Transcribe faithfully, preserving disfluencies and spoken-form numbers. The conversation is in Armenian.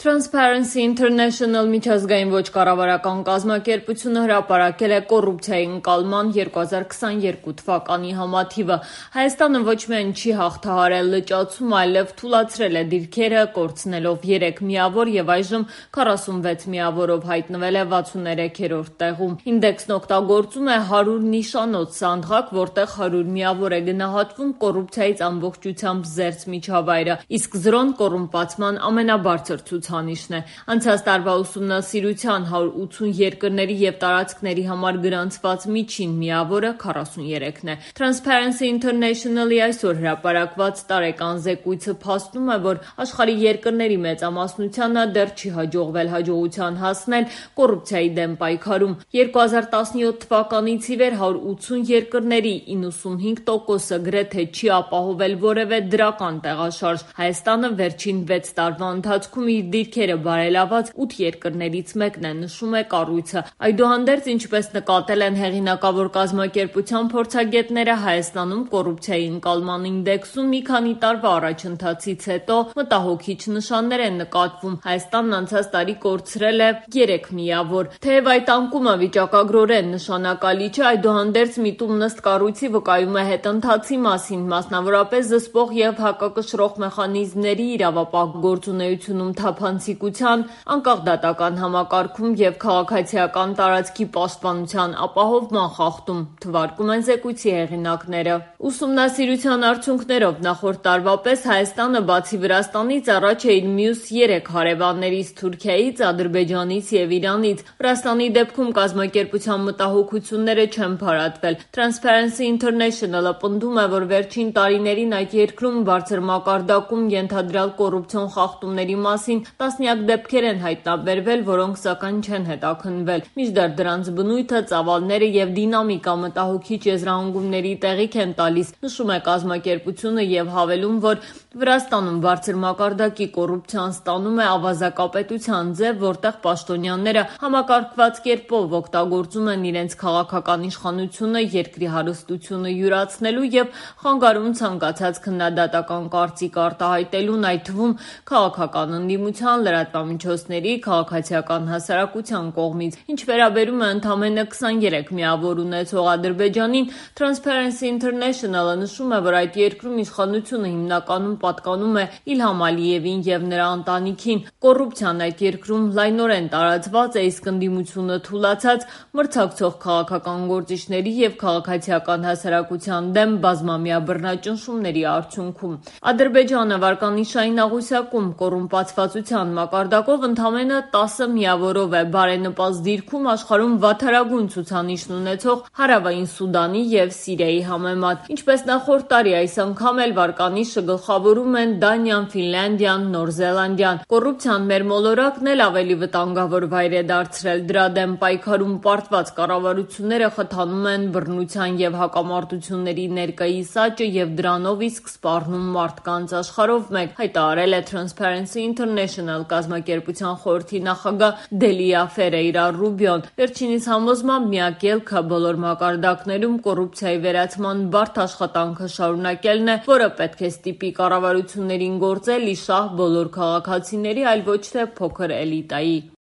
Transparency International միջազգային ոչ կառավարական կազմակերպությունը հրապարակել է կոռուպցիայի ընկալման երկու հազար քսաներկու թվականի համաթիվը։ Հայաստանը ոչ միայն չի հաղթահարել լճացում, այլև թուլացրել է դիրքերը, կորցնելով երեք միավոր եւ այժմ քառասունվեց միավորով հայտնվել է վաթսուններեքերորդ տեղում։ Ինդեքսն օգտագործում է հարյուր նիշանոց սանդղակ, որտեղ հարյուր միավոր է գնահատվում կոռուպցիայից ամբողջությամբ զերծ միջավայրը, իսկ զրոն կոռումպացման ամենաբարձր ցուցանիշն է։ Անցած տարվա ուսումնասիրության հարյուր ութուն երկրների եւ տարածքների համար գրանցված միջին միավորը քառասուններեքն է։ Transparency International-ի այսօր հրապարակված տարեկան զեկույցը փաստում է, որ աշխարհի երկրների մեծամասնությանը դեռ չի հաջողվել հաջողության հասնել կոռուպցիայի դեմ պայքարում։ երկու հազար տասնյոթ թվականից ի վեր հարյուր ութուն երկրների իննսունհինգ տոկոսը գրեթե չի ապահովել որևէ դրական տեղաշարժ։ Հայաստանը վերջին վեց տարվա ընթացքում իր դիրքերը բարելաված ութ երկրներից մեկն է, նշում է կառույցը։ Այդուհանդերձ, ինչպես նկատել են հեղինակավոր կազմակերպության փորձագետները, Հայաստանում կոռուպցիայի ընկալման ինդեքսում մի քանի տարվա առաջընթացից հետո մտահոգիչ նշաններ են նկատվում։ Հայաստանն անցած տարի կորցրել է երեք միավոր։ Թեև այդ անկումը վիճակագրորեն նշանակալի չէ, այդուհանդերձ միտումն ըստ կառույցի վկայում է հետընթացի մասին, մասնավորապես զսպող եւ հակակշռող մեխանիզմների իրավապահ գործունեությունում թափանցիկության, անկախ դատական համակարգում եւ քաղաքացիական տարածքի պաշտպանության ապահովման խախտում, թվարկում են զեկույցի հեղինակները։ Ուսումնասիրության արդյունքներով նախորդ տարվա պես Հայաստանը բացի Վրաստանից առաջ է իր մյուս երեք հարևաններից՝ Թուրքիայից, Ադրբեջանից եւ Իրանից։ Վրաստանի դեպքում կազմակերպության մտահոգությունները չեն փարատվել։ Transparency International-ը պնդում է, որ վերջին տարիներին այդ երկրում բարձր մակարդակում ենթադրյալ կոռուպցիոն խախտումների մասին տասնյակ դեպքեր են հայտնաբերվել, որոնք սակայն չեն հետաքննվել։ Մինչդեռ դրանց բնույթը, ծավալները եւ դինամիկա մտահոգիչ եզրահանգումների տեղիք են տալիս, նշում է կազմակերպությունը եւ հավելում, որ Վրաստանում բարձր մակարդակի կոռուպցիան ստանում է ավազակապետության ձև, որտեղ պաշտոնյաները համակարգված կերպով օգտագործում են իրենց քաղաքական իշխանությունը երկրի հարստությունը յուրացնելու եւ խանգարում ցանկացած քննադատական կարծիք արտահայտելուն, այդ թվում քաղաքական ընդդիմության, լրատվամիջոցների, քաղաքացիական հասարակության կողմից։ Ինչ վերաբերում է ընդամենը քսաներեք միավոր ունեցող Ադրբեջանին, Transparency International-ը նշում է, որ այդ երկրում իշխանությունը հիմնականում պատկանում է Իլհամ Ալիևին եւ նրա ընտանիքին։ Կոռուպցիան այդ երկրում լայնորեն տարածված է, իսկ ընդդիմությունը թուլացած, մրցակցող քաղաքական գործիչների եւ քաղաքացիական հասարակության դեմ բազմամյա բռնաճնշումների արդյունքում։ Ադրբեջանը վարկանիշային աղյուսակում կոռումպացվածության մակարդակով ընդամենը տասը միավորով է, բարենպաստ դիրքում աշխարհում վատթարագույն ցուցանիշն ունեցող Հարավային Սուդանի եւ Սիրիայի համեմատ։ Ինչպես նախորդ տարի, այս անգամ էլ վարկանիշը գլխավորում են Դանիան, Ֆինլանդիան, Նոր Զելանդիան։ Կոռուպցիան մեր մոլորակն էլ ավելի վտանգավոր վայր է դարձրել։ Դրա դեմ պայքարում պարտված կառավարությունները խթանում են բռնության եւ հակամարտությունների ներկայիս աճը եւ դրանով իսկ սպառնում մարդկանց։ Աշխարհով մեկ հայտարարել է Transparency International կազմակերպության խորհրդի նախագահ Դելիա Ֆերեյրա Ռուբիոն։ Վերջինիս համոզմամբ միակ ելքը բոլոր մակարդակներում կոռուպցիայի վերացման բարդ աշխատանքը շարունակելն է, որը պետք է ստիպի կառավարություններին գործել ի շահ բոլոր քաղաքացիների, այլ ոչ թե փոքր էլիտայի։